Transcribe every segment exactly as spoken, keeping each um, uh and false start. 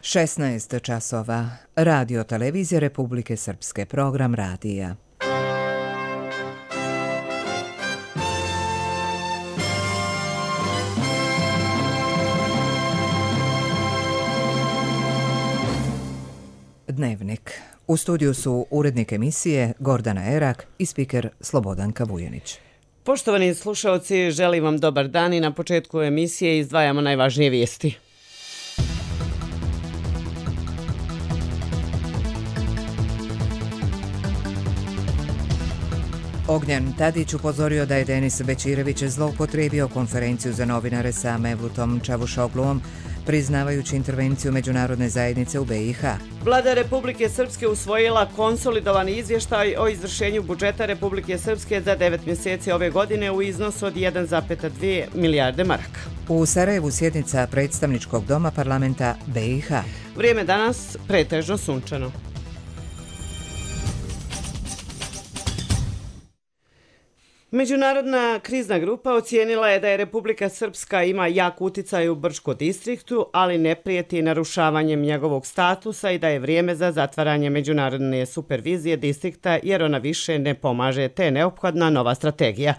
šesnaest časova. Radio Televizije Republike Srpske. Program radija. Dnevnik. U studiju su urednik emisije Gordana Erak i spiker Slobodanka Vujanić. Poštovani slušalci, želim vam dobar dan i na početku emisije izdvajamo najvažnije vijesti. Ognjen Tadić upozorio da je Denis Bećirević zloupotrijebio konferenciju za novinare sa Mevlutom Čavušogluom, priznavajući intervenciju međunarodne zajednice u B i H. Vlada Republike Srpske usvojila konsolidovani izvještaj o izvršenju budžeta Republike Srpske za devet mjeseci ove godine u iznosu od jedan zarez dvije milijarde maraka. U Sarajevu sjednica predstavničkog doma parlamenta B i H. Vrijeme danas pretežno sunčano. Međunarodna krizna grupa ocijenila je da je Republika Srpska ima jak uticaj u Brčko distriktu, ali ne prijeti narušavanjem njegovog statusa i da je vrijeme za zatvaranje međunarodne supervizije distrikta jer ona više ne pomaže te neophodna nova strategija.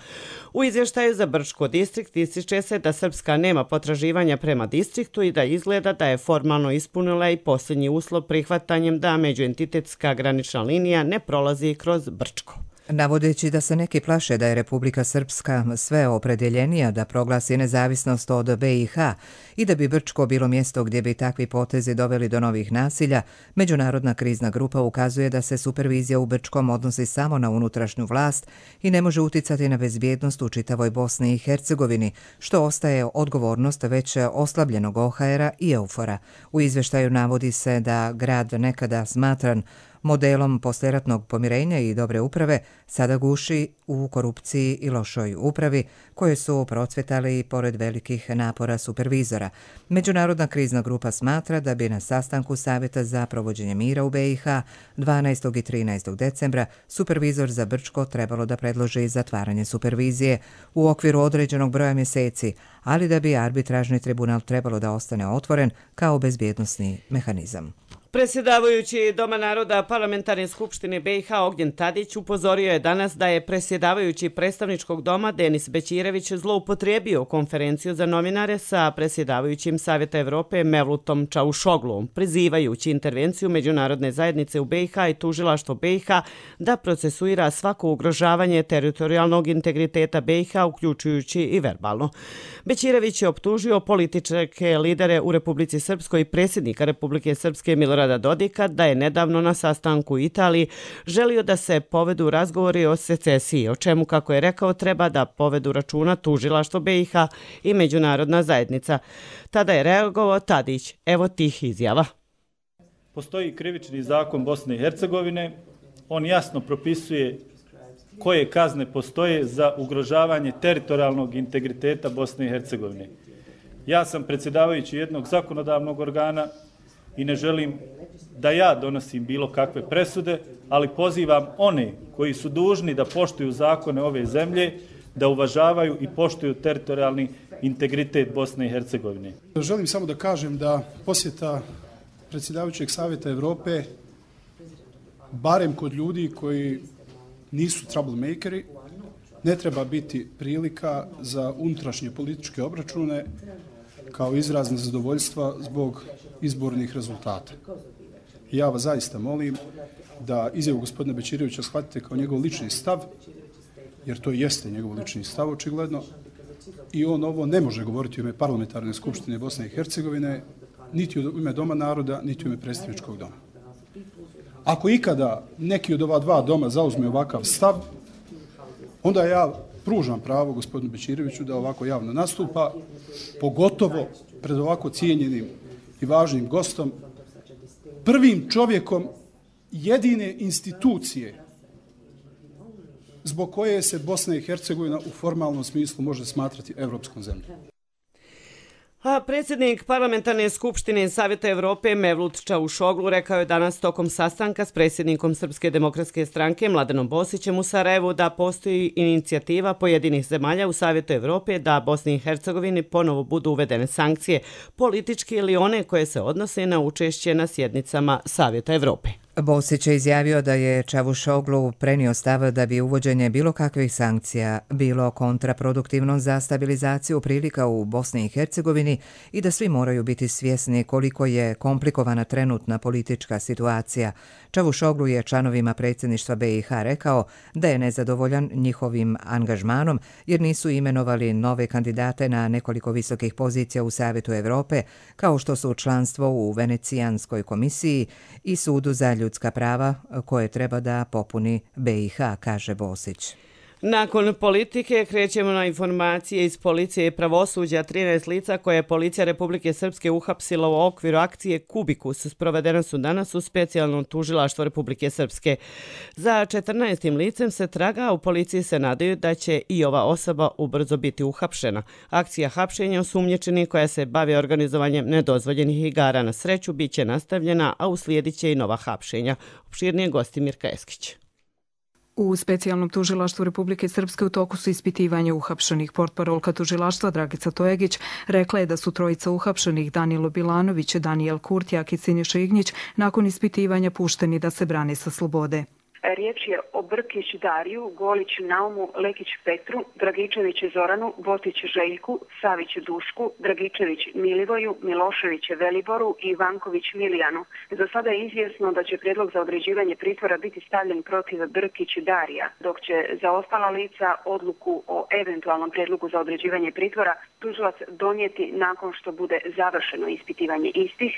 U izvještaju za Brčko distrikt ističe se da Srpska nema potraživanja prema distriktu i da izgleda da je formalno ispunila i posljednji uslov prihvatanjem da međuentitetska granična linija ne prolazi kroz Brčko. Navodeći da se neki plaše da je Republika Srpska sve opredjeljenija da proglasi nezavisnost od B i H i da bi Brčko bilo mjesto gdje bi takvi potezi doveli do novih nasilja, Međunarodna krizna grupa ukazuje da se supervizija u Brčkom odnosi samo na unutrašnju vlast i ne može uticati na bezbjednost u čitavoj Bosni i Hercegovini, što ostaje odgovornost već oslabljenog O H R-a i Eufora. U izvještaju navodi se da grad nekada smatran modelom poslijeratnog pomirenja i dobre uprave sada guši u korupciji i lošoj upravi koje su procvjetali pored velikih napora supervizora. Međunarodna krizna grupa smatra da bi na sastanku Savjeta za provođenje mira u B i H dvanaestog i trinaestog decembra supervizor za Brčko trebalo da predloži zatvaranje supervizije u okviru određenog broja mjeseci, ali da bi arbitražni tribunal trebalo da ostane otvoren kao bezbjednosni mehanizam. Predsjedavajući Doma naroda Parlamentarne skupštine B i H Ognjen Tadić upozorio je danas da je predsjedavajući predstavničkog doma Denis Bećirević zloupotrijebio konferenciju za novinare sa predsjedavajućim Savjeta Evrope Mevlutom Čavušogluom, prizivajući intervenciju međunarodne zajednice u B i H i tužilaštvo B i H da procesuira svako ugrožavanje teritorijalnog integriteta B i H, uključujući i verbalno. Bećirević je optužio političke lidere u Republici Srpskoj i predsjednika Republike Srpske Milorada Dodika da je nedavno na sastanku u Italiji želio da se povedu razgovori o secesiji, o čemu, kako je rekao, treba da povedu računa tužilaštvo B i H i međunarodna zajednica. Tada je reagovao Tadić. Evo tih izjava. Postoji krivični zakon Bosne i Hercegovine. On jasno propisuje koje kazne postoje za ugrožavanje teritorijalnog integriteta Bosne i Hercegovine. Ja sam predsjedavajući jednog zakonodavnog organa i ne želim da ja donosim bilo kakve presude, ali pozivam one koji su dužni da poštuju zakone ove zemlje, da uvažavaju i poštuju teritorijalni integritet Bosne i Hercegovine. Želim samo da kažem da posjeta predsjedavajućeg Savjeta Evrope, barem kod ljudi koji nisu troublemakeri, ne treba biti prilika za unutrašnje političke obračune kao izraz nezadovoljstva zbog izbornih rezultata. Ja vas zaista molim da izjavu gospodina Bećirevića shvatite kao njegov lični stav, jer to jeste njegov lični stav očigledno, i on ovo ne može govoriti u ime Parlamentarne skupštine Bosne i Hercegovine, niti u ime Doma naroda, niti u ime predstavničkog doma. Ako ikada neki od ova dva doma zauzme ovakav stav, onda ja pružam pravo gospodinu Bećireviću da ovako javno nastupa, pogotovo pred ovako cijenjenim i važnim gostom, prvim čovjekom jedine institucije zbog koje se Bosna i Hercegovina u formalnom smislu može smatrati evropskom zemljom. A predsjednik Parlamentarne skupštine Savjeta Evrope Mevlut Čavuşoglu rekao je danas tokom sastanka s predsjednikom Srpske demokratske stranke Mladenom Bosićem u Sarajevu da postoji inicijativa pojedinih zemalja u Savjetu Evrope da Bosni i Hercegovini ponovo budu uvedene sankcije, politički ili one koje se odnose na učešće na sjednicama Savjeta Evrope. Bosić je izjavio da je Čavuşoglu prenio stav da bi uvođenje bilo kakvih sankcija bilo kontraproduktivno za stabilizaciju prilika u Bosni i Hercegovini i da svi moraju biti svjesni koliko je komplikovana trenutna politička situacija. Čavuşoglu je članovima predsjedništva B i H rekao da je nezadovoljan njihovim angažmanom jer nisu imenovali nove kandidate na nekoliko visokih pozicija u Savjetu Evrope, kao što su članstvo u Venecijanskoj komisiji i Sudu za ljudska prava koje treba da popuni B i H, kaže Bosić. Nakon politike krećemo na informacije iz policije i pravosuđa. trinaest lica koje je policija Republike Srpske uhapsila u okviru akcije Kubikus sprovedena su danas u specijalnom tužilaštvu Republike Srpske. Za četrnaestim licem se traga, u policiji se nadaju da će i ova osoba ubrzo biti uhapšena. Akcija hapšenja osumnjičenih koja se bavi organizovanjem nedozvoljenih igara na sreću bit će nastavljena, a uslijedit će i nova hapšenja. Opširnije gosti Mirka Eskić. U specijalnom tužilaštvu Republike Srpske u toku su ispitivanja uhapšenih. Portparolka tužilaštva Dragica Tojegić rekla je da su trojica uhapšenih Danilo Bilanović, Danijel Kurtjak i Siniša Ignjić nakon ispitivanja pušteni da se brane sa slobode. Riječ je o Brkić Dariju, Golić Naumu, Lekić Petru, Dragičević Zoranu, Botić Željku, Savić Dušku, Dragičević Milivoju, Milošević Veliboru i Ivanković Milijanu. Za sada je izvjesno da će prijedlog za određivanje pritvora biti stavljen protiv Brkić Darija, dok će za ostala lica odluku o eventualnom prijedlogu za određivanje pritvora tužilac donijeti nakon što bude završeno ispitivanje istih.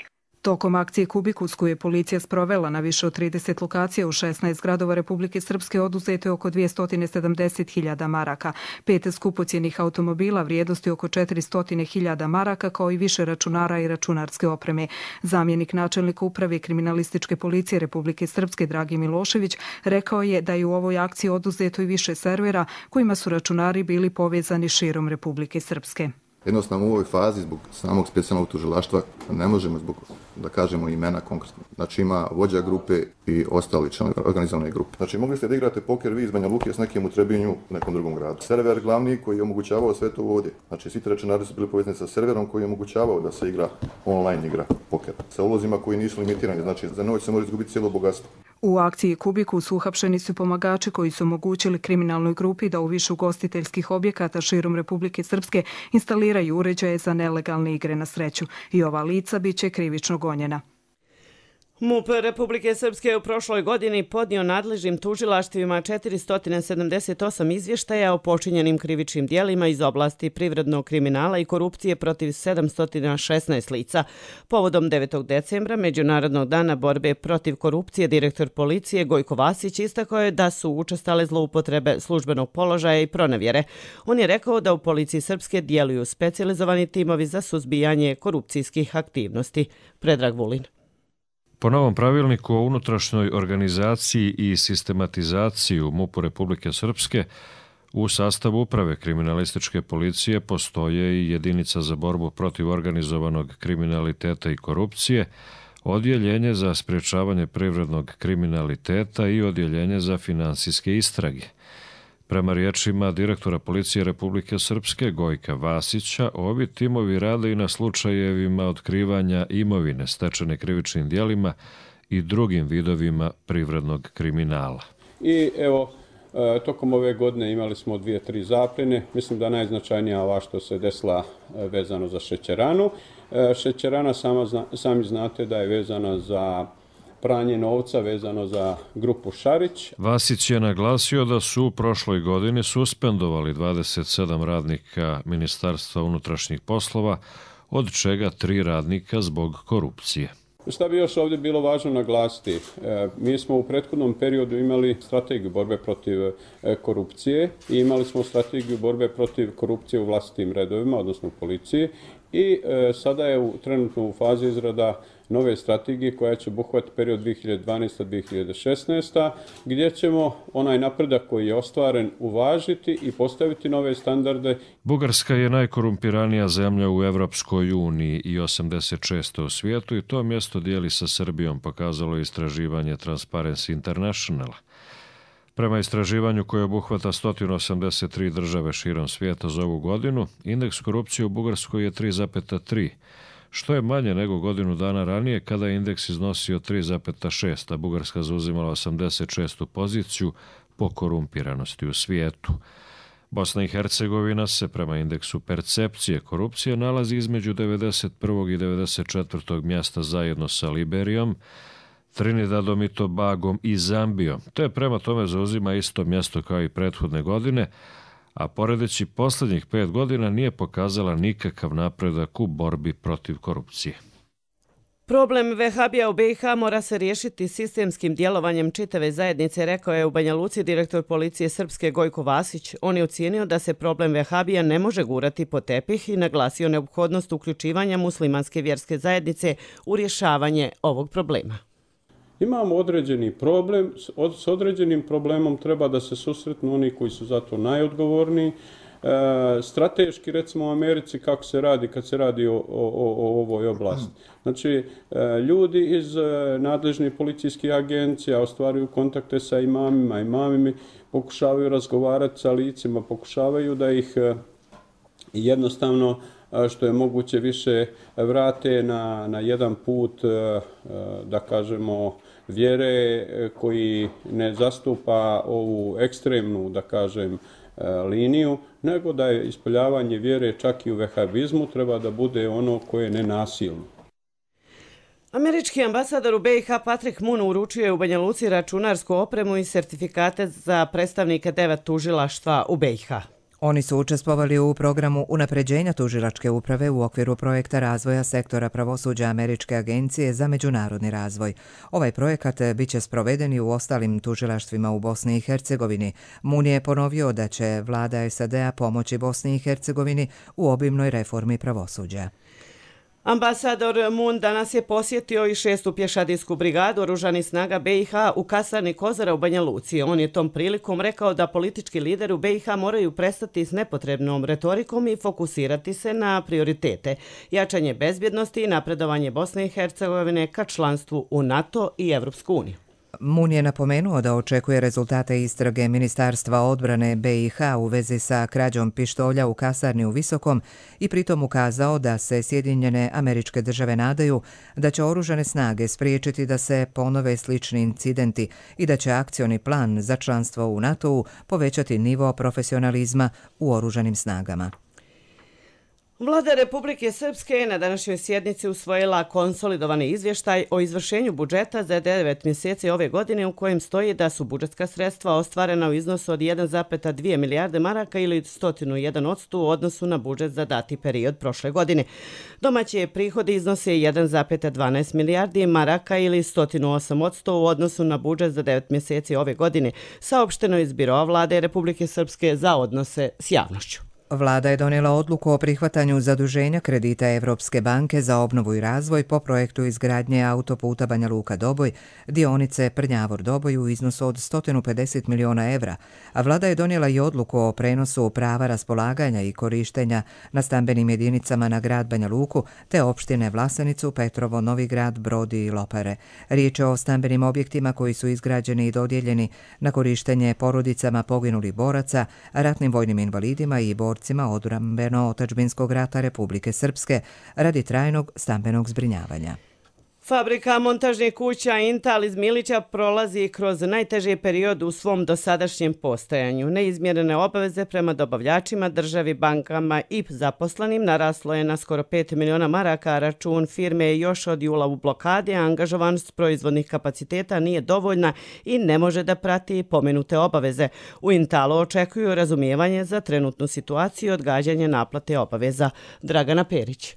Tokom akcije Kubikus koju je policija sprovela na više od trideset lokacija u šesnaest gradova Republike Srpske oduzeto je oko dvjesto sedamdeset hiljada maraka, pet skupocjenih automobila vrijednosti oko četiristo hiljada maraka kao i više računara i računarske opreme. Zamjenik načelnika uprave kriminalističke policije Republike Srpske Dragi Milošević rekao je da je u ovoj akciji oduzeto i više servera kojima su računari bili povezani širom Republike Srpske. Jednostavno u ovoj fazi zbog samog specijalnog tužilaštva ne možemo zbog, da kažemo, imena konkretno. Znači ima vođa grupe i ostali članovi organizovane grupe. Znači mogli ste da igrate poker vi iz Banja Luke s nekim u Trebinju u nekom drugom gradu. Server glavni koji je omogućavao sve to ovdje. Znači svi računari su bili povezani sa serverom koji je omogućavao da se igra online igra poker. Sa ulozima koji nisu limitirani, znači za noć se može izgubiti cijelo bogatstvo. U akciji Kubikus uhapšeni su pomagači koji su omogućili kriminalnoj grupi da u više ugostiteljskih objekata širom Republike Srpske instaliraju uređaje za nelegalne igre na sreću i ova lica bit će krivično gonjena. MUP Republike Srpske je u prošloj godini podnio nadležnim tužilaštvima četiristo sedamdeset osam izvještaja o počinjenim krivičnim dijelima iz oblasti privrednog kriminala i korupcije protiv sedamsto šesnaest lica. Povodom devetog decembra, Međunarodnog dana borbe protiv korupcije, direktor policije Gojko Vasić istakao je da su učestale zloupotrebe službenog položaja i pronevjere. On je rekao da u policiji Srpske djeluju specijalizovani timovi za suzbijanje korupcijskih aktivnosti. Predrag Vulin. Po novom pravilniku o unutrašnjoj organizaciji i sistematizaciji u MUP-u Republike Srpske u sastavu uprave kriminalističke policije postoje i jedinica za borbu protiv organizovanog kriminaliteta i korupcije, odjeljenje za sprječavanje privrednog kriminaliteta i odjeljenje za finansijske istrage. Prema riječima direktora policije Republike Srpske Gojka Vasića, ovi timovi rade i na slučajevima otkrivanja imovine stečene krivičnim djelima i drugim vidovima privrednog kriminala. I evo, tokom ove godine imali smo dvije, tri zapljene. Mislim da najznačajnija ova što se desila vezano za šećeranu. Šećerana sama, sami znate da je vezana za pranje novca vezano za grupu Šarić. Vasić je naglasio da su u prošloj godini suspendovali dvadeset sedam radnika Ministarstva unutrašnjih poslova, od čega tri radnika zbog korupcije. Šta bi još ovdje bilo važno naglasiti? Mi smo u prethodnom periodu imali strategiju borbe protiv korupcije i imali smo strategiju borbe protiv korupcije u vlastitim redovima, odnosno u policiji. I sada je u, trenutno u fazi izrada nove strategije koja će obuhvatiti period dvije hiljade dvanaesta do dvije hiljade šesnaesta. gdje ćemo onaj napredak koji je ostvaren uvažiti i postaviti nove standarde. Bugarska je najkorumpiranija zemlja u Evropskoj uniji i osamdeset šesta u svijetu i to mjesto dijeli sa Srbijom, pokazalo je istraživanje Transparency Internationala. Prema istraživanju koje obuhvata sto osamdeset tri države širom svijeta za ovu godinu, indeks korupcije u Bugarskoj je tri zarez tri, što je manje nego godinu dana ranije kada je indeks iznosio tri zarez šest, a Bugarska zauzimala osamdeset šestu poziciju po korumpiranosti u svijetu. Bosna i Hercegovina se prema indeksu percepcije korupcije nalazi između devedeset prvog i devedeset četvrtog mjesta zajedno sa Liberijom, Trinidadom i Tobagom i Zambijom. To je prema tome zauzima isto mjesto kao i prethodne godine, a poredeći posljednjih pet godina nije pokazala nikakav napredak u borbi protiv korupcije. Problem vehabija u B i H mora se riješiti sistemskim djelovanjem čitave zajednice, rekao je u Banja Luci direktor policije Srpske Gojko Vasić. On je ocijenio da se problem vehabija ne može gurati pod tepih i naglasio neophodnost uključivanja muslimanske vjerske zajednice u rješavanje ovog problema. Imamo određeni problem, s određenim problemom treba da se susretnu oni koji su za to najodgovorniji. E, strateški, recimo u Americi, kako se radi kad se radi o, o, o ovoj oblasti. Znači, e, ljudi iz e, nadležnih policijskih agencija ostvaruju kontakte sa imamima, imamimi pokušavaju razgovarati sa licima, pokušavaju da ih e, jednostavno što je moguće više vrate na, na jedan put, da kažemo, vjere koji ne zastupa ovu ekstremnu, da kažem, liniju, nego da je ispoljavanje vjere čak i u vehabizmu treba da bude ono koje je nenasilno. Američki ambasador u B i H Patrick Moon uručio je u Banja Luci računarsku opremu i sertifikate za predstavnike devet tužilaštva u B i H. Oni su učestvovali u programu unapređenja tužilačke uprave u okviru projekta razvoja sektora pravosuđa Američke agencije za međunarodni razvoj. Ovaj projekat biće sproveden i u ostalim tužilaštvima u Bosni i Hercegovini. Moon je ponovio da će vlada S A D-a pomoći Bosni i Hercegovini u obimnoj reformi pravosuđa. Ambasador Moon danas je posjetio i šestu pješadijsku brigadu oružanih snaga B i H u kasarni Kozara u Banja Luci. On je tom prilikom rekao da politički lideri u B i H moraju prestati s nepotrebnom retorikom i fokusirati se na prioritete, jačanje bezbjednosti i napredovanje Bosne i Hercegovine ka članstvu u NATO i Evropsku uniju. Moon je napomenuo da očekuje rezultate istrage Ministarstva odbrane B i H u vezi sa krađom pištolja u kasarni u Visokom i pritom ukazao da se Sjedinjene Američke Države nadaju da će oružane snage spriječiti da se ponove slični incidenti i da će akcioni plan za članstvo u NATO-u povećati nivo profesionalizma u oružanim snagama. Vlada Republike Srpske je na današnjoj sjednici usvojila konsolidovani izvještaj o izvršenju budžeta za devet mjeseci ove godine u kojem stoji da su budžetska sredstva ostvarena u iznosu od jedan zarez dvije milijarde maraka ili sto jedan posto u odnosu na budžet za dati period prošle godine. Domaći prihodi iznose jedan zarez dvanaest milijardi maraka ili sto osam posto u odnosu na budžet za devet mjeseci ove godine, saopšteno iz Biroa Vlade Republike Srpske za odnose s javnošću. Vlada je donijela odluku o prihvatanju zaduženja kredita Evropske banke za obnovu i razvoj po projektu izgradnje autoputa Banja Luka-Doboj, dionice Prnjavor-Doboj u iznosu od sto pedeset miliona evra, a vlada je donijela i odluku o prenosu prava raspolaganja i korištenja na stambenim jedinicama na grad Banja Luku te opštine Vlasenicu, Petrovo, Novi Grad, Brodi i Lopare. Riječ je o stambenim objektima koji su izgrađeni i dodijeljeni na korištenje porodicama poginulih boraca, ratnim vojnim invalidima i borcima odbrambeno-otadžbinskog rata Republike Srpske radi trajnog stambenog zbrinjavanja. Fabrika montažnih kuća Intal iz Milića prolazi kroz najteži period u svom dosadašnjem postojanju. Neizmjerene obaveze prema dobavljačima, državi, bankama i zaposlenim naraslo je na skoro pet miliona maraka, a račun firme je još od jula u blokadi, a angažovanost proizvodnih kapaciteta nije dovoljna i ne može da prati pomenute obaveze. U Intalu očekuju razumijevanje za trenutnu situaciju i odgađanje naplate obaveza. Dragana Perić.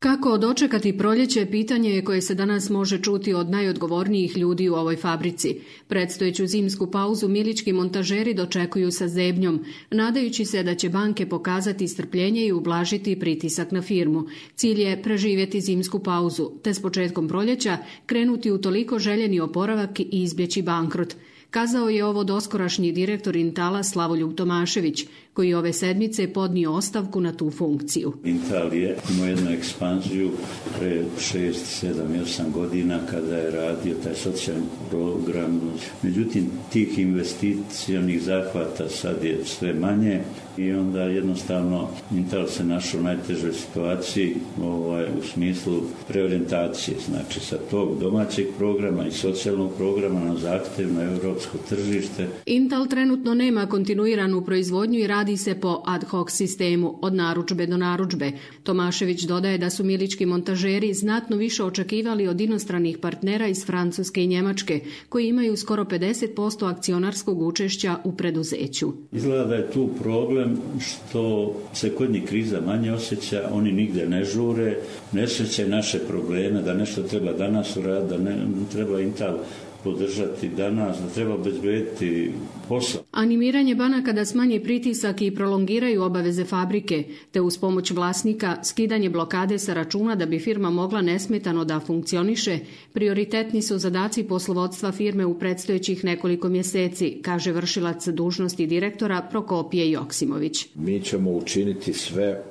Kako dočekati proljeće, pitanje je koje se danas može čuti od najodgovornijih ljudi u ovoj fabrici. Predstojeću zimsku pauzu milički montažeri dočekuju sa zebnjom, nadajući se da će banke pokazati strpljenje i ublažiti pritisak na firmu. Cilj je preživjeti zimsku pauzu, te s početkom proljeća krenuti u toliko željeni oporavak i izbjeći bankrot. Kazao je ovo doskorašnji direktor Intala Slavoljub Tomašević, koji ove sedmice podnio ostavku na tu funkciju. Intal je imao jednu ekspanziju pre šest, sedam, osam godina kada je radio taj socijalni program. Međutim, tih investicionih zahvata sad je sve manje i onda jednostavno Intal se našao u najtežoj situaciji ovaj, u smislu preorijentacije. Znači sa tog domaćeg programa i socijalnog programa na zahtevno europsko tržište. Intal trenutno nema kontinuiranu proizvodnju i radi se po ad hoc sistemu od narudžbe do narudžbe. Tomašević dodaje da su milički montažeri znatno više očekivali od inostranih partnera iz Francuske i Njemačke, koji imaju skoro pedeset posto akcionarskog učešća u preduzeću. Izgleda da je tu problem što se kod njih kriza manje osjeća, oni nigde ne žure, ne osjećaju naše probleme, da nešto treba danas uraditi, da ne treba Intal podržati danas, da treba obezbediti posao. Animiranje banaka da smanje pritisak i prolongiraju obaveze fabrike, te uz pomoć vlasnika skidanje blokade sa računa da bi firma mogla nesmetano da funkcioniše, prioritetni su zadaci poslovodstva firme u predstojećih nekoliko mjeseci, kaže vršilac dužnosti direktora Prokopije Joksimović. Mi ćemo učiniti sve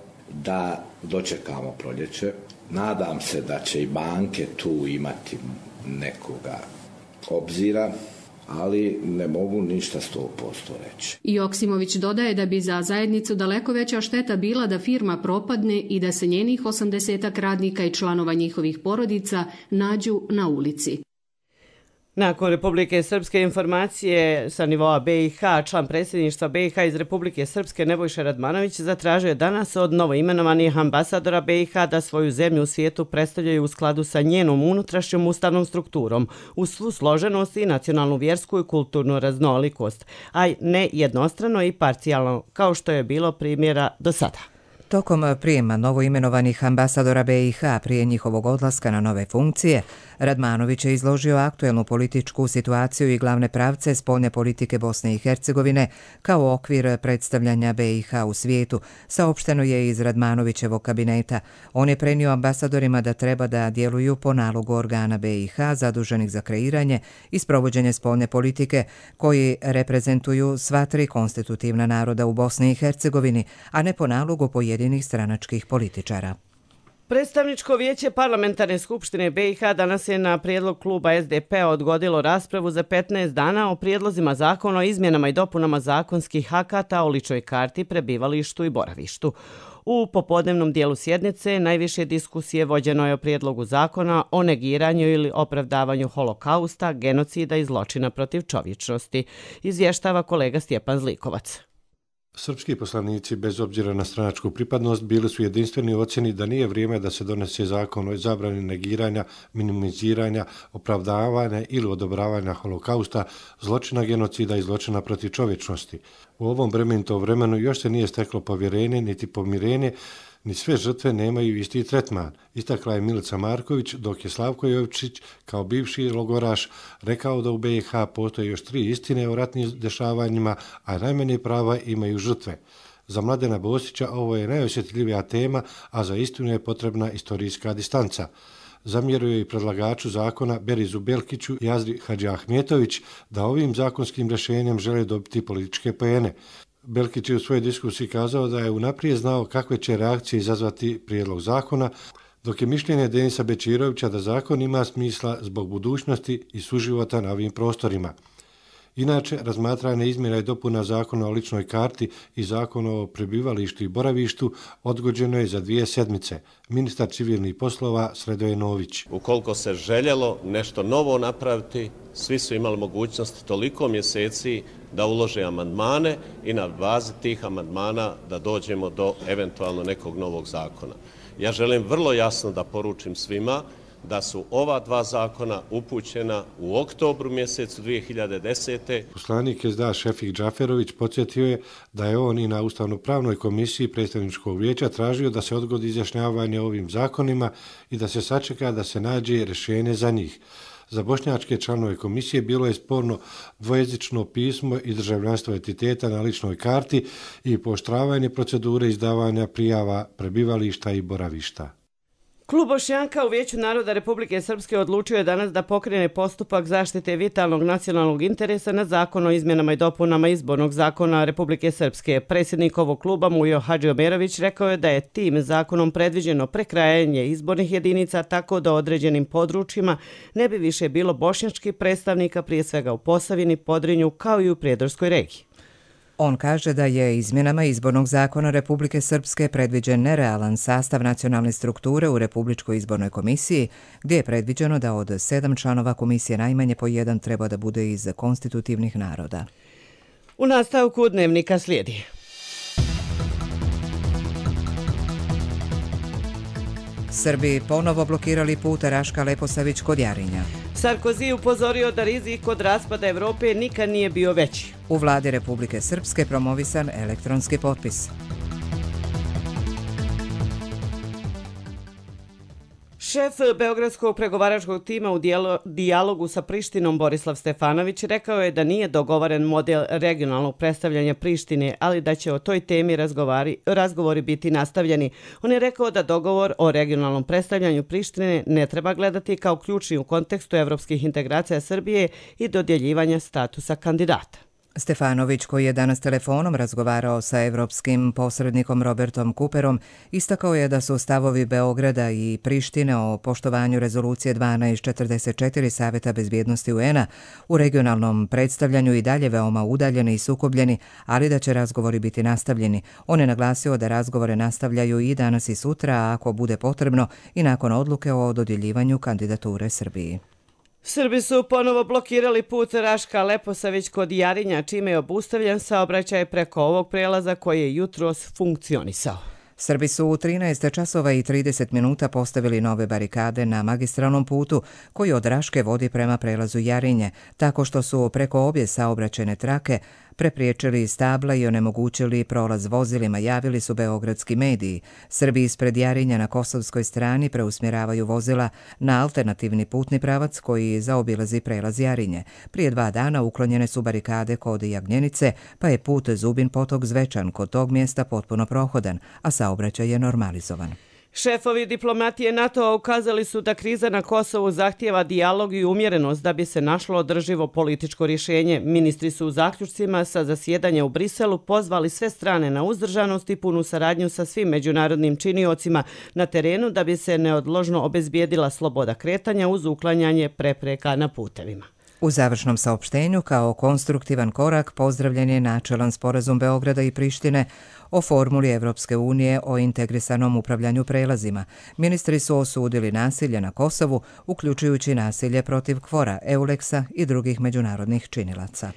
da dočekamo proljeće. Nadam se da će i banke tu imati nekoga obzira, ali ne mogu ništa sto posto reći. Joksimović dodaje da bi za zajednicu daleko veća šteta bila da firma propadne i da se njenih osamdesetak radnika i članova njihovih porodica nađu na ulici. Nakon Republike Srpske informacije sa nivoa B i H, član predsjedništva B i H iz Republike Srpske Nebojša Radmanović zatražio je danas od novoimenovanih ambasadora B i H da svoju zemlju u svijetu predstavljaju u skladu sa njenom unutrašnjom ustavnom strukturom, uz svu složenost i nacionalnu, vjersku i kulturnu raznolikost, a ne jednostrano i parcijalno, kao što je bilo primjera do sada. Tokom prijema novoimenovanih ambasadora B i H prije njihovog odlaska na nove funkcije, Radmanović je izložio aktuelnu političku situaciju i glavne pravce spoljne politike Bosne i Hercegovine kao okvir predstavljanja B i H u svijetu, saopšteno je iz Radmanovićevog kabineta. On je prenio ambasadorima da treba da djeluju po nalogu organa B i H zaduženih za kreiranje i sprovođenje spoljne politike, koji reprezentuju sva tri konstitutivna naroda u Bosni i Hercegovini, a ne po nalogu pojedinih stranačkih političara. Predstavničko vijeće Parlamentarne skupštine B i H danas je na prijedlog kluba S D P odgodilo raspravu za petnaest dana o prijedlozima zakona o izmjenama i dopunama zakonskih akata o ličnoj karti, prebivalištu i boravištu. U popodnevnom dijelu sjednice najviše diskusije vođeno je o prijedlogu zakona o negiranju ili opravdavanju holokausta, genocida i zločina protiv čovječnosti, izvještava kolega Stjepan Zlikovac. Srpski poslanici, bez obzira na stranačku pripadnost, bili su jedinstveni u ocjeni da nije vrijeme da se donese zakon o zabrani negiranja, minimiziranja, opravdavanja ili odobravanja holokausta, zločina genocida i zločina protiv čovječnosti. U ovom brementom vremenu još se nije steklo povjerenje niti pomirenje, ni sve žrtve nemaju isti tretman, istakla je Milica Marković, dok je Slavko Jovičić, kao bivši logoraš, rekao da u B i H postoje još tri istine o ratnim dešavanjima, a najmanje prava imaju žrtve. Za Mladena Bosića ovo je najosjetljivija tema, a za istinu je potrebna istorijska distanca. Zamjerio je i predlagaču zakona Berizu Belkiću i Azri Hadžiahmetović da ovim zakonskim rješenjem žele dobiti političke poene. Belkić je u svojoj diskusiji kazao da je unaprijed znao kakve će reakcije izazvati prijedlog zakona, dok je mišljenje Denisa Bečirovića da zakon ima smisla zbog budućnosti i suživota na ovim prostorima. Inače, razmatranje izmjena i dopuna zakona o ličnoj karti i zakona o prebivalištu i boravištu odgođeno je za dvije sedmice. Ministar civilnih poslova Sredoje Nović. Ukoliko se željelo nešto novo napraviti, svi su imali mogućnost toliko mjeseci da ulože amandmane i na bazi tih amandmana da dođemo do eventualno nekog novog zakona. Ja želim vrlo jasno da poručim svima da su ova dva zakona upućena u oktobru mjesecu dvije hiljade desete. Poslanik S D A Šefik Džaferović podsjetio je da je on i na Ustavno-pravnoj komisiji predstavničkog vijeća tražio da se odgodi izjašnjavanje o ovim zakonima i da se sačeka da se nađe rješenje za njih. Za bošnjačke članove komisije bilo je sporno dvojezično pismo i državljanstvo entiteta na ličnoj karti i pooštravanje procedure izdavanja prijava prebivališta i boravišta. Klub Bošnjaka u Vijeću naroda Republike Srpske odlučio je danas da pokrene postupak zaštite vitalnog nacionalnog interesa na zakon o izmjenama i dopunama izbornog zakona Republike Srpske. Predsjednik ovog kluba Mujo Hadžiomerović rekao je da je tim zakonom predviđeno prekrajanje izbornih jedinica tako da određenim područjima ne bi više bilo bošnjačkih predstavnika, prije svega u Posavini, Podrinju kao i u Prijedorskoj regiji. On kaže da je izmjenama izbornog zakona Republike Srpske predviđen nerealan sastav nacionalne strukture u Republičkoj izbornoj komisiji, gdje je predviđeno da od sedam članova komisije najmanje po jedan treba da bude iz konstitutivnih naroda. U nastavku dnevnika slijedi. Srbi ponovo blokirali put Raška Leposavić kod Jarinja. Sarkozy upozorio da rizik kod raspada Evrope nikad nije bio veći. U vladi Republike Srpske promovisan elektronski potpis. Šef beogradskog pregovaračkog tima u dijalogu sa Prištinom Borislav Stefanović rekao je da nije dogovoren model regionalnog predstavljanja Prištine, ali da će o toj temi razgovori, razgovori biti nastavljeni. On je rekao da dogovor o regionalnom predstavljanju Prištine ne treba gledati kao ključni u kontekstu evropskih integracija Srbije i dodjeljivanja statusa kandidata. Stefanović, koji je danas telefonom razgovarao sa evropskim posrednikom Robertom Cooperom, istakao je da su stavovi Beograda i Prištine o poštovanju rezolucije dvanaest četrdeset četiri Saveta bezbjednosti U N-a u regionalnom predstavljanju i dalje veoma udaljeni i sukobljeni, ali da će razgovori biti nastavljeni. On je naglasio da razgovore nastavljaju i danas i sutra, a ako bude potrebno i nakon odluke o dodjeljivanju kandidature Srbiji. Srbi su ponovo blokirali put Raška Leposavić kod Jarinja, čime je obustavljen saobraćaj preko ovog prelaza koji je jutros funkcionisao. Srbi su u trinaest časova i trideset minuta postavili nove barikade na magistralnom putu koji od Raške vodi prema prelazu Jarinje, tako što su preko obje saobraćajne trake prepriječili stabla i onemogućili prolaz vozilima, javili su beogradski mediji. Srbi ispred Jarinja na kosovskoj strani preusmjeravaju vozila na alternativni putni pravac koji zaobilazi prelaz Jarinje. Prije dva dana uklonjene su barikade kod Jagnjenice, pa je put Zubin Potok Zvečan kod tog mjesta potpuno prohodan, a saobraćaj je normalizovan. Šefovi diplomatije NATO-a ukazali su da kriza na Kosovu zahtijeva dijalog i umjerenost da bi se našlo održivo političko rješenje. Ministri su u zaključcima sa zasjedanja u Briselu pozvali sve strane na uzdržanost i punu saradnju sa svim međunarodnim činiocima na terenu da bi se neodložno obezbijedila sloboda kretanja uz uklanjanje prepreka na putevima. U završnom saopštenju kao konstruktivan korak pozdravljen je načelan sporazum Beograda i Prištine o formuli Evropske unije o integrisanom upravljanju prelazima. Ministri su osudili nasilje na Kosovu, uključujući nasilje protiv Kvora, Euleksa i drugih međunarodnih činilaca.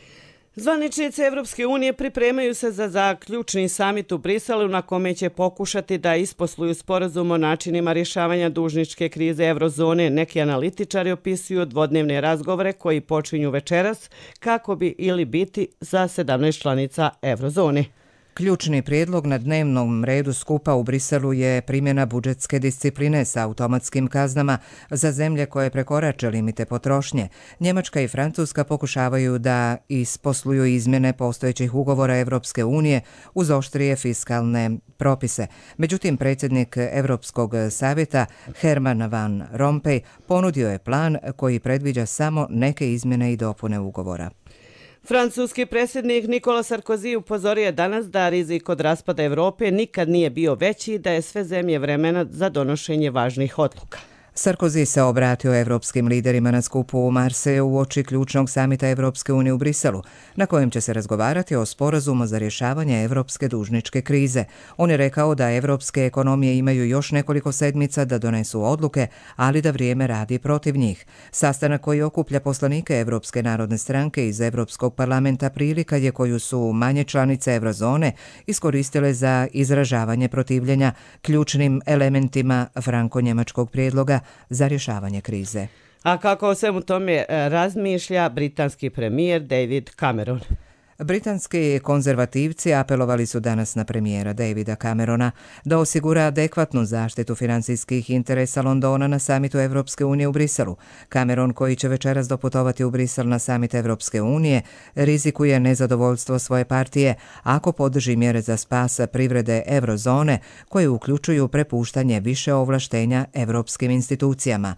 Zvaničnici Evropske unije pripremaju se za zaključni samit u Briselu na kome će pokušati da isposluju sporazum o načinima rješavanja dužničke krize eurozone. Neki analitičari opisuju dvodnevne razgovore koji počinju večeras kako bi ili biti za sedamnaest članica eurozone. Ključni prijedlog na dnevnom redu skupa u Briselu je primjena budžetske discipline sa automatskim kaznama za zemlje koje prekorače limite potrošnje. Njemačka i Francuska pokušavaju da isposluju izmjene postojećih ugovora Evropske unije uz oštrije fiskalne propise. Međutim, predsjednik Evropskog savjeta Herman Van Rompuy ponudio je plan koji predviđa samo neke izmjene i dopune ugovora. Francuski predsjednik Nicolas Sarkozy upozorio je danas da rizik od raspada Evrope nikad nije bio veći i da je sve zemlje vremena za donošenje važnih odluka. Sarkozy se obratio evropskim liderima na skupu u Marseju uoči ključnog samita Evropske unije u Briselu, na kojem će se razgovarati o sporazumu za rješavanje evropske dužničke krize. On je rekao da evropske ekonomije imaju još nekoliko sedmica da donesu odluke, ali da vrijeme radi protiv njih. Sastanak koji okuplja poslanike Evropske narodne stranke iz Evropskog parlamenta prilika je koju su manje članice eurozone iskoristile za izražavanje protivljenja ključnim elementima franko-njemačkog prijedloga za rješavanje krize. A kako o svemu tome razmišlja britanski premijer David Cameron? Britanski konzervativci apelovali su danas na premijera Davida Camerona da osigura adekvatnu zaštitu financijskih interesa Londona na samitu Evropske unije u Briselu. Cameron, koji će večeras doputovati u Brisel na samit Evropske unije, rizikuje nezadovoljstvo svoje partije ako podrži mjere za spas privrede eurozone koje uključuju prepuštanje više ovlaštenja evropskim institucijama.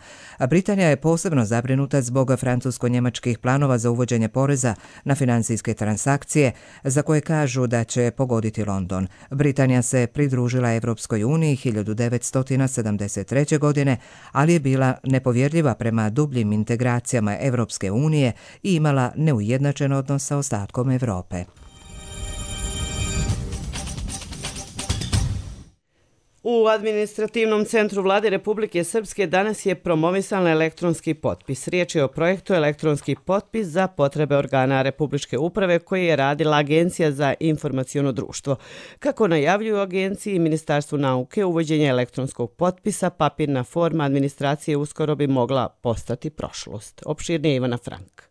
Britanija je posebno zabrinuta zbog francusko-njemačkih planova za uvođenje poreza na financijske transakcije akcije za koje kažu da će pogoditi London. Britanija se pridružila Evropskoj uniji hiljadu devetsto sedamdeset treće. godine, ali je bila nepovjerljiva prema dubljim integracijama Evropske unije i imala neujednačen odnos sa ostatkom Europe. U administrativnom centru Vlade Republike Srpske danas je promovisan elektronski potpis. Riječ je o projektu elektronski potpis za potrebe organa Republičke uprave koji je radila Agencija za informaciono društvo. Kako najavljuju agenciji i Ministarstvu nauke, uvođenje elektronskog potpisa, papirna forma administracije uskoro bi mogla postati prošlost. Opširnije Ivana Frank.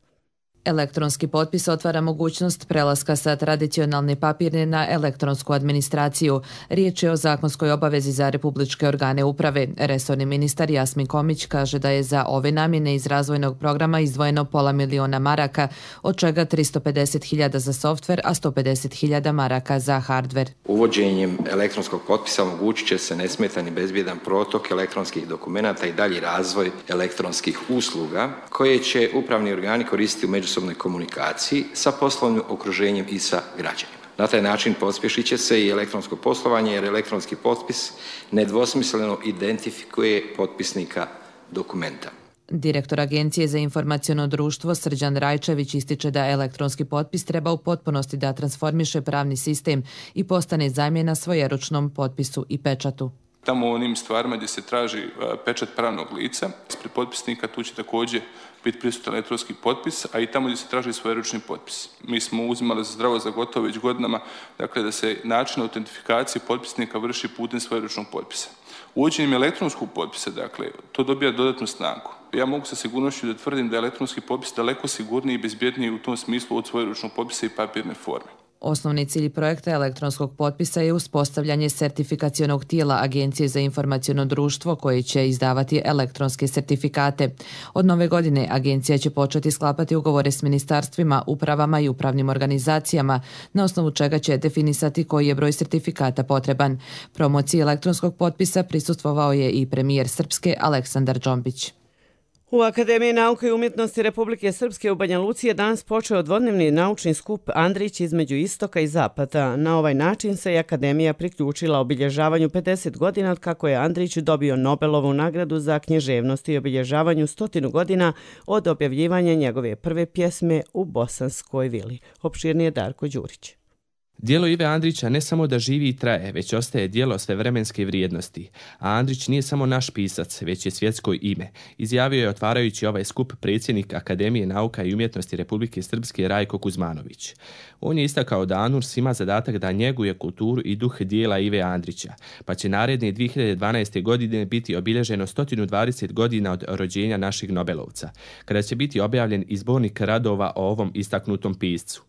Elektronski potpis otvara mogućnost prelaska sa tradicionalne papirne na elektronsku administraciju. Riječ je o zakonskoj obavezi za republičke organe uprave. Resorni ministar Jasmin Komić kaže da je za ove namjene iz razvojnog programa izdvojeno pola miliona maraka, od čega tristo pedeset hiljada za softver, a sto pedeset hiljada maraka za hardver. Uvođenjem elektronskog potpisa omogućit će se nesmetan i bezbjedan protok elektronskih dokumenata i dalji razvoj elektronskih usluga koje će upravni organi koristiti u međusobnoj komunikaciji sa poslovnim okruženjem i sa građanima. Na taj način pospješit će se i elektronsko poslovanje jer elektronski potpis nedvosmisleno identifikuje potpisnika dokumenta. Direktor Agencije za informaciono društvo Srđan Rajčević ističe da elektronski potpis treba u potpunosti da transformiše pravni sistem i postane zamjena svojeručnom potpisu i pečatu. Tamo u onim stvarima gdje se traži pečat pravnog lica, ispred potpisnika tu će također biti prisutan elektronski potpis, a i tamo gdje se traži svojeručni potpis. Mi smo uzimali za zdravo za gotovo već godinama, dakle da se način autentifikacije potpisnika vrši putem svojeručnog potpisa. Uvođenjem elektronskog potpisa, dakle, to dobija dodatnu snagu. Ja mogu sa sigurnošću da tvrdim da je elektronski potpis daleko sigurniji i bezbjedniji u tom smislu od svojeručnog potpisa i papirne forme. Osnovni cilj projekta elektronskog potpisa je uspostavljanje sertifikacionog tijela Agencije za informaciono društvo koje će izdavati elektronske sertifikate. Od nove godine agencija će početi sklapati ugovore s ministarstvima, upravama i upravnim organizacijama, na osnovu čega će definisati koji je broj sertifikata potreban. Promociji elektronskog potpisa prisustvovao je i premijer Srpske Aleksandar Džombić. U Akademiji nauke i umjetnosti Republike Srpske u Banja Luci je danas počeo dvodnevni naučni skup Andrić između istoka i zapada. Na ovaj način se je Akademija priključila obilježavanju pedeset godina od kako je Andrić dobio Nobelovu nagradu za književnost i obilježavanju stotinu godina od objavljivanja njegove prve pjesme U Bosanskoj vili. Opširnije Darko Đurić. Djelo Ive Andrića ne samo da živi i traje, već ostaje djelo svevremenske vrijednosti. A Andrić nije samo naš pisac, već je svjetsko ime. Izjavio je otvarajući ovaj skup predsjednik Akademije nauka i umjetnosti Republike Srpske Rajko Kuzmanović. On je istakao da ANURS ima zadatak da njeguje kulturu i duh dijela Ive Andrića, pa će naredne dvije hiljade dvanaeste. godine biti obilježeno sto dvadeset godina od rođenja našeg Nobelovca, kada će biti objavljen izbornik radova o ovom istaknutom piscu.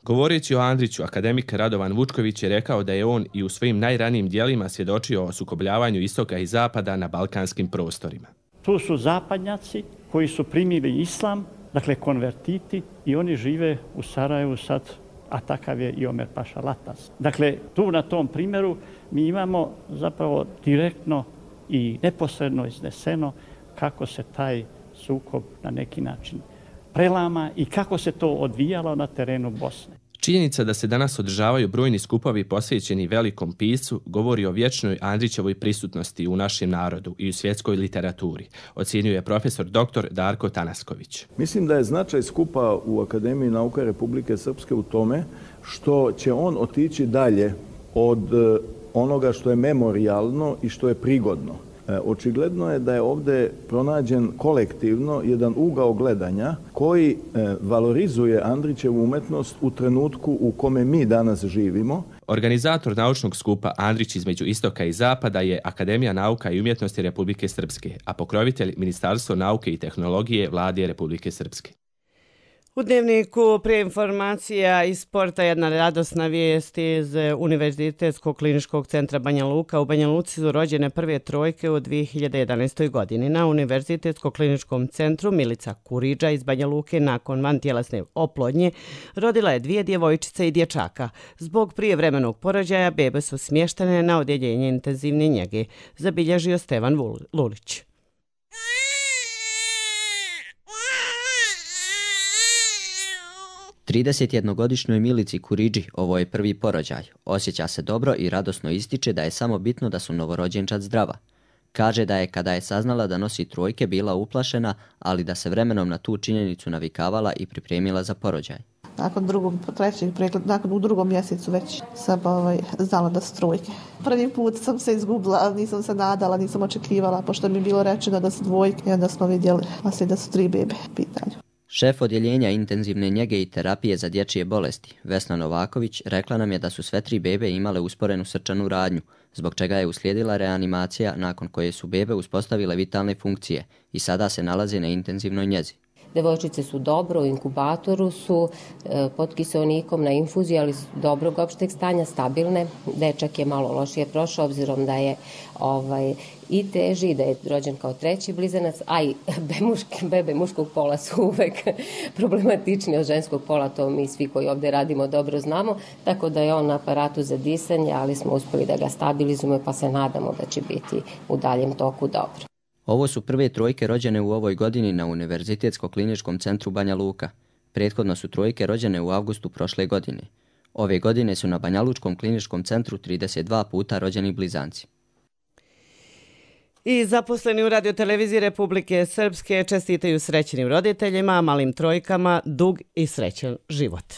Govoreći o Andriću, akademik Radovan Vučković je rekao da je on i u svojim najranijim dijelima svjedočio o sukobljavanju istoka i zapada na balkanskim prostorima. Tu su zapadnjaci koji su primili islam, dakle konvertiti, i oni žive u Sarajevu sad, a takav je i Omer Paša Latas. Dakle, tu na tom primjeru mi imamo zapravo direktno i neposredno izneseno kako se taj sukob na neki način prelama i kako se to odvijalo na terenu Bosne. Činjenica da se danas održavaju brojni skupovi posvećeni velikom piscu govori o vječnoj Andrićevoj prisutnosti u našem narodu i u svjetskoj literaturi, ocjenjuje profesor doktor Darko Tanasković. Mislim da je značaj skupa u Akademiji nauka Republike Srpske u tome što će on otići dalje od onoga što je memorijalno i što je prigodno. Očigledno je da je ovdje pronađen kolektivno jedan ugao gledanja koji valorizuje Andrićevu umetnost u trenutku u kome mi danas živimo. Organizator naučnog skupa Andrić između istoka i zapada je Akademija nauka i umjetnosti Republike Srpske, a pokrovitelj Ministarstvo nauke i tehnologije Vlade Republike Srpske. U Dnevniku prije informacija iz sporta jedna radosna vijest iz Univerzitetskog kliničkog centra Banja Luka. U Banja Luci su rođene prve trojke u dvije hiljade jedanaestoj. godini. Na Univerzitetskom kliničkom centru Milica Kuriđa iz Banja Luke nakon vantjelesne oplodnje rodila je dvije djevojčice i dječaka. Zbog prijevremenog porođaja bebe su smještene na odjeljenje intenzivne njege, zabilježio Stevan Lulić. tridesetjednogodišnjoj Milici Kuriđi ovo je prvi porođaj. Osjeća se dobro i radosno ističe da je samo bitno da su novorođenčad zdrava. Kaže da je kada je saznala da nosi trojke bila uplašena, ali da se vremenom na tu činjenicu navikavala i pripremila za porođaj. Nakon drugog, trećeg pregleda, nakon u drugom mjesecu već sam ovaj, znala da su trojke. Prvi put sam se izgubila, ali nisam se nadala, nisam očekivala, pošto mi je bilo rečeno da su dvojke i onda smo vidjeli da su tri bebe u pitanju. Šef odjeljenja intenzivne njege i terapije za dječje bolesti, Vesna Novaković, rekla nam je da su sve tri bebe imale usporenu srčanu radnju, zbog čega je uslijedila reanimacija nakon koje su bebe uspostavile vitalne funkcije i sada se nalaze na intenzivnoj njezi. Devojčice su dobro, u inkubatoru su e, pod kiseonikom na infuziji, ali su dobrog opšteg stanja, stabilne. Dečak je malo lošije prošao, obzirom da je ovaj, i teži, da je rođen kao treći blizanac, a i bemuške, bebe muškog pola su uvek problematični od ženskog pola, to mi svi koji ovdje radimo dobro znamo, tako da je on na aparatu za disanje, ali smo uspjeli da ga stabilizujemo, pa se nadamo da će biti u daljem toku dobro. Ovo su prve trojke rođene u ovoj godini na Univerzitetskom kliničkom centru Banja Luka. Prethodno su trojke rođene u avgustu prošle godine. Ove godine su na Banja Lučkom kliničkom centru trideset dva puta rođeni blizanci. I zaposleni u radioteleviziji Republike Srpske čestitaju srećnim roditeljima, malim trojkama, dug i srećan život.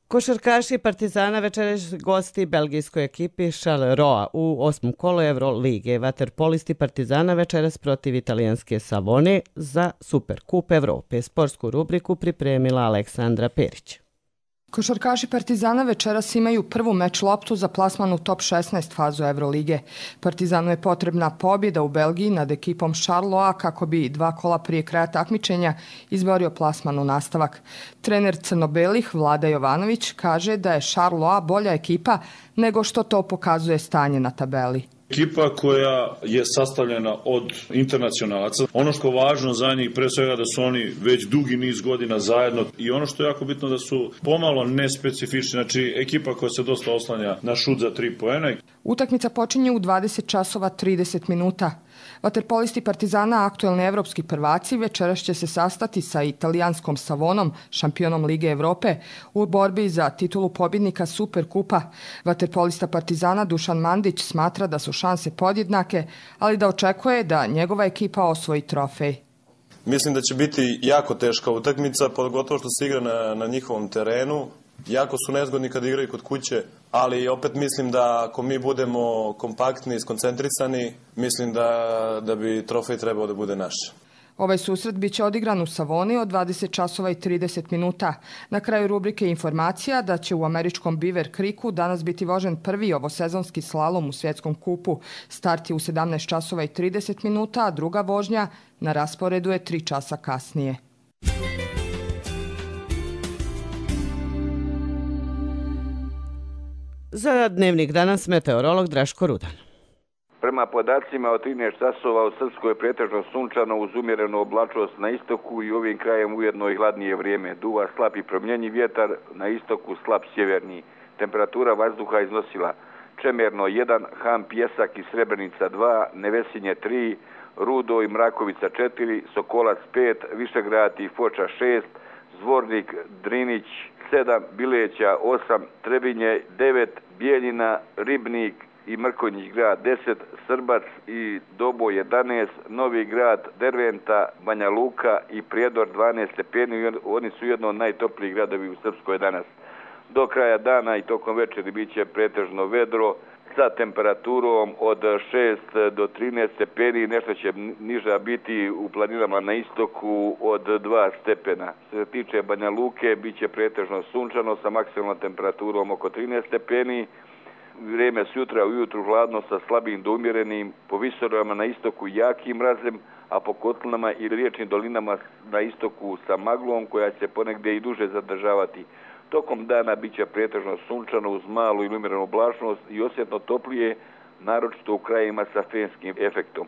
Košarkaši Partizana večeras gosti belgijskoj ekipi Charleroi u osmom kolu Evrolige. Vaterpolisti Partizana večeras protiv italijanske Savone za Superkup Evrope. Sportsku rubriku pripremila Aleksandra Perić. Košarkaši Partizana večeras imaju prvu meč loptu za plasman u top šesnaest fazu Evrolige. Partizanu je potrebna pobjeda u Belgiji nad ekipom Charleroi kako bi dva kola prije kraja takmičenja izborio plasman u nastavak. Trener crno-belih Vlada Jovanović kaže da je Charleroi bolja ekipa nego što to pokazuje stanje na tabeli. Ekipa koja je sastavljena od internacionalaca. Ono što je važno za njih, pre svega da su oni već dugi niz godina zajedno i ono što je jako bitno da su pomalo nespecifični, znači ekipa koja se dosta oslanja na šut za tri poena. Utakmica počinje u dvadeset časova trideset minuta. Vaterpolisti Partizana, aktuelni evropski prvaci, večeras će se sastati sa italijanskom Savonom, šampionom Lige Evrope, u borbi za titulu pobjednika Superkupa. Vaterpolista Partizana Dušan Mandić smatra da su šanse podjednake, ali da očekuje da njegova ekipa osvoji trofej. Mislim da će biti jako teška utakmica, pogotovo što se igra na, na njihovom terenu. Jako su nezgodni kad igraju kod kuće, ali opet mislim da ako mi budemo kompaktni i skoncentrisani, mislim da, da bi trofej trebao da bude naš. Ovaj susret biće odigran u Savoni od dvadeset časova i trideset minuta. Na kraju rubrike informacija da će u američkom Beaver Creeku danas biti vožen prvi ovosezonski slalom u svjetskom kupu. Start je u sedamnaest časova i trideset minuta, a druga vožnja na rasporedu je tri časa kasnije. Za Dnevnik danas meteorolog Draško Rudan. Prema podacima od trinaest časova u Srpskoj je pretežno sunčano uz umjerenu oblačnost na istoku i ovim krajem ujedno i hladnije vrijeme. Duva slab i promjenjiv vjetar, na istoku slab sjeverni. Temperatura vazduha iznosila Čemerno jedan, Ham, Pjesak i Srebrenica dva, Nevesinje tri, Rudo i Mrakovica četiri, Sokolac pet, Višegrad i Foča šest, Zvornik, Drinić sedam, Bileća osam, Trebinje devet, Bijeljina, Ribnik i Mrkonjić grad deset, Srbac i Dobo jedanaest, Novi grad, Derventa, Banja Luka i Prijedor dvanaest stepeni. Oni su jedno od najtoplijih gradovi u Srpskoj danas. Do kraja dana i tokom večeri bit će pretežno vedro sa temperaturom od šest do trinaest stepeni, nešto će niža biti u planinama na istoku od dva stepena. Što se tiče Banja Luke, bit će pretežno sunčano sa maksimalnom temperaturom oko trinaest stepeni. Vrijeme sutra ujutru hladno sa slabim do umjerenim, po visoravama na istoku jakim mrazem, a po kotlinama i riječnim dolinama na istoku sa maglom koja će ponegdje i duže zadržavati. Tokom dana bit će pretežno sunčano uz malu ili umjerenu oblačnost i osjetno toplije, naročito u krajima sa fenskim efektom.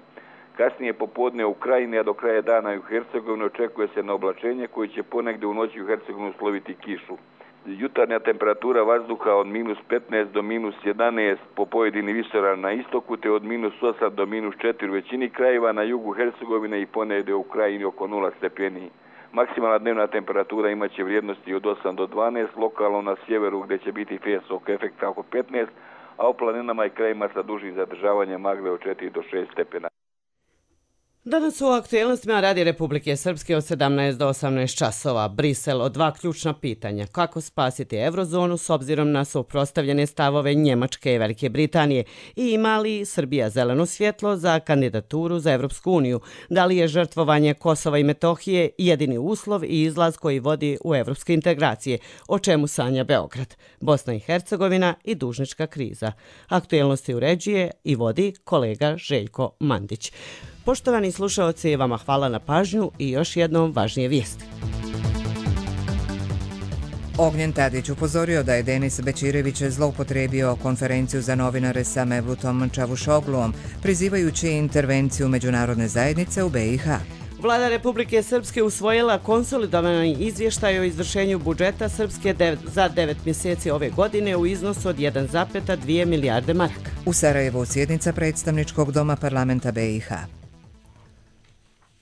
Kasnije popodne u Krajini, a do kraja dana i u Hercegovini očekuje se na oblačenje koje će ponegdje u noći u Hercegovini usloviti kišu. Jutarnja temperatura vazduha od minus petnaest do minus jedanaest po pojedini visoravni na istoku, te od minus osam do minus četiri u većini krajeva, na jugu Hercegovine i ponegdje u Krajini oko nula stepeni. Maksimalna dnevna temperatura imaće vrijednosti od osam do dvanaest, lokalno na sjeveru gdje će biti fenskog efekta oko petnaest, a u planinama i krajima sa dužim zadržavanjem magle od četiri do šest stepena. Danas u aktuelnostima Radi Republike Srpske od sedamnaest do osamnaest časova. Brisel o dva ključna pitanja. Kako spasiti eurozonu s obzirom na suprotstavljene stavove Njemačke i Velike Britanije i ima li Srbija zeleno svjetlo za kandidaturu za Evropsku uniju? Da li je žrtvovanje Kosova i Metohije jedini uslov i izlaz koji vodi u evropske integracije? O čemu sanja Beograd, Bosna i Hercegovina i dužnička kriza? Aktuelnosti uređuje i vodi kolega Željko Mandić. Poštovani slušaoci, vama hvala na pažnju i još jednom važnije vijesti. Ognjen Tadić upozorio da je Denis Bećirević zloupotrebio konferenciju za novinare sa Mevlutom Čavušogluom, prizivajući intervenciju međunarodne zajednice u B i H. Vlada Republike Srpske usvojila konsolidovani izvještaj o izvršenju budžeta Srpske za devet mjeseci ove godine u iznosu od jedan zarez dvije milijarde maraka. U Sarajevu sjednica predstavničkog doma parlamenta B i H.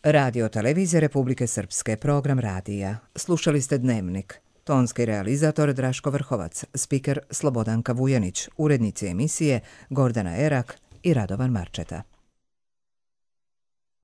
Radio televizija Republike Srpske, program radija. Slušali ste Dnevnik. Tonski realizator Draško Vrhovac, spiker Slobodanka Vujanić, urednici emisije Gordana Erak i Radovan Marčeta.